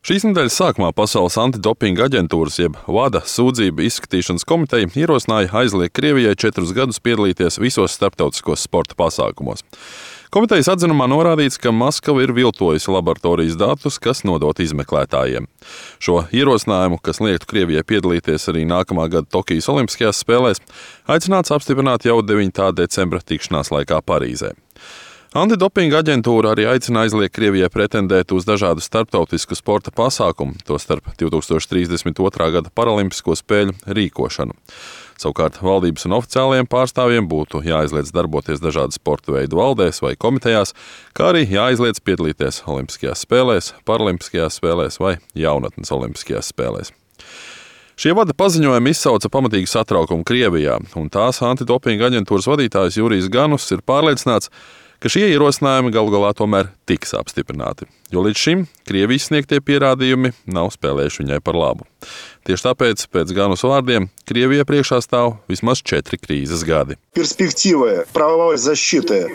Šīs nedēļas sākumā Pasaules antidopinga aģentūras jeb WADA sūdzību izskatīšanas komiteja ierosināja aizliegt Krievijai 4 gadus piedalīties visos starptautiskos sporta pasākumos. Komitejas atzinumā norādīts, ka Maskava ir viltojusi laboratorijas datus, kas nodot izmeklētājiem. Šo ierosinājumu, kas liektu Krievijai piedalīties arī nākamā gada Tokijas Olimpiskajās spēlēs, aicināts apstiprināt jau 9. decembra tikšanās laikā Parīzē. Antidopinga aģentūra arī aicina aizliegt Krievijai pretendēt uz dažādu starptautisku sporta pasākumu, tostarp 2032. gada Paralimpisko spēļu rīkošanu. Savukārt valdības un oficiālajiem pārstāvjiem būtu jāaizliedz darboties dažādu sporta veidu valdēs vai komitejās, kā arī jāaizliedz piedalīties Olimpiskajās spēlēs, Paralimpiskajās spēlēs vai Jaunatnes Olimpiskajās spēlēs. Šie WADA paziņojumi izsauca pamatīgu satraukumu Krievijā, un tās antidopinga aģentūras vadītājs Jurijs Ganus ir pārliecināts, ka šie ierosinājumi galu galā tomēr tiks apstiprināti, jo līdz šim Krievijas sniegtie pierādījumi nav spēlējuši viņai par labu. Tieši tāpēc, pēc Ganus vārdiem, Krievijai priekšā stāv vismaz 4 krīzes gadi.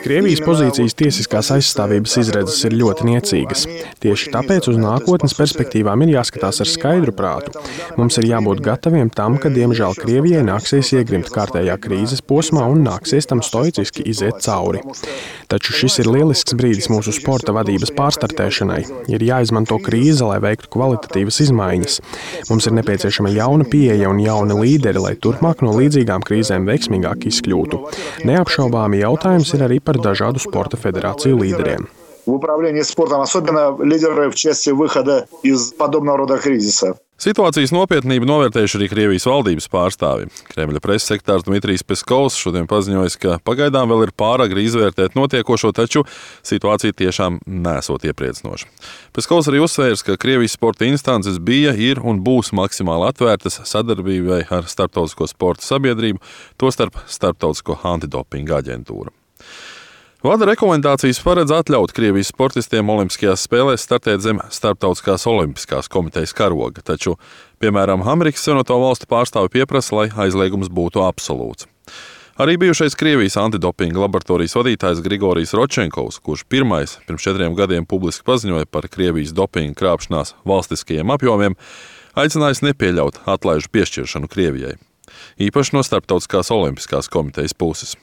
Krievijas pozīcijas tiesiskās aizstāvības izredzes ir ļoti niecīgas. Tieši tāpēc uz nākotnes perspektīvām ir jāskatās ar skaidru prātu. Mums ir jābūt gataviem tam, ka diemžēl Krievijai nāksies iegrimt kārtējā krīzes posmā un nāksies tam stoiciski iziet cauri. Taču šis ir lielisks brīdis mūsu sporta vadības pārstartēšanai. Ir jāizmanto krīze, lai veiktu kvalitatīvas izmaiņas. Mums ir nepieciešama jauna pieeja un jauni līderi, lai turpmāk no līdzīgām krīzēm veiksmīgāk izkļūtu. Neapšaubāmi jautājums ir arī par dažādu sporta federāciju līderiem. В управлении спортом, особенно лидеры в части выхода из подобного рода кризиса. Situācijas nopietnību novērtējuši arī Krievijas valdības pārstāvi. Kremļa preses sekretārs Dmitrijs Peskovs šodien paziņojis, ka pagaidām vēl ir pāragri izvērtēt notiekošo, taču situācija tiešām nesot iepriecinoša. Peskovs arī uzsvērs, ka Krievijas sporta instances bija, ir un būs maksimāli atvērtas sadarbībai ar starptautisko sporta sabiedrību, tostarp starptautisko antidopinga aģentūru. WADA rekomendācijas paredz atļaut Krievijas sportistiem Olimpiskajās spēlēs startēt zem Starptautiskās olimpiskās komitejas karoga, taču, piemēram, Amerikas Savienoto Valstu pārstāvi pieprasa, lai aizliegums būtu absolūts. Arī bijušais Krievijas antidopinga laboratorijas vadītājs Grigorijs Rodčenkovs, kurš pirmais pirms 4 gadiem publiski paziņoja par Krievijas dopinga krāpšanās valstiskajiem apjomiem, aicinājis nepieļaut atlaižu piešķiršanu Krievijai, īpaši no Starptautiskās olimpiskās komitejas puses.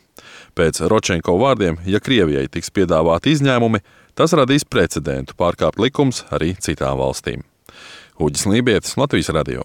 Pēc Rodčenkova vārdiem, ja Krievijai tiks piedāvāti izņēmumi, tas radīs precedentu pārkāpt likums arī citām valstīm. Uģis Lībietis, Latvijas radio.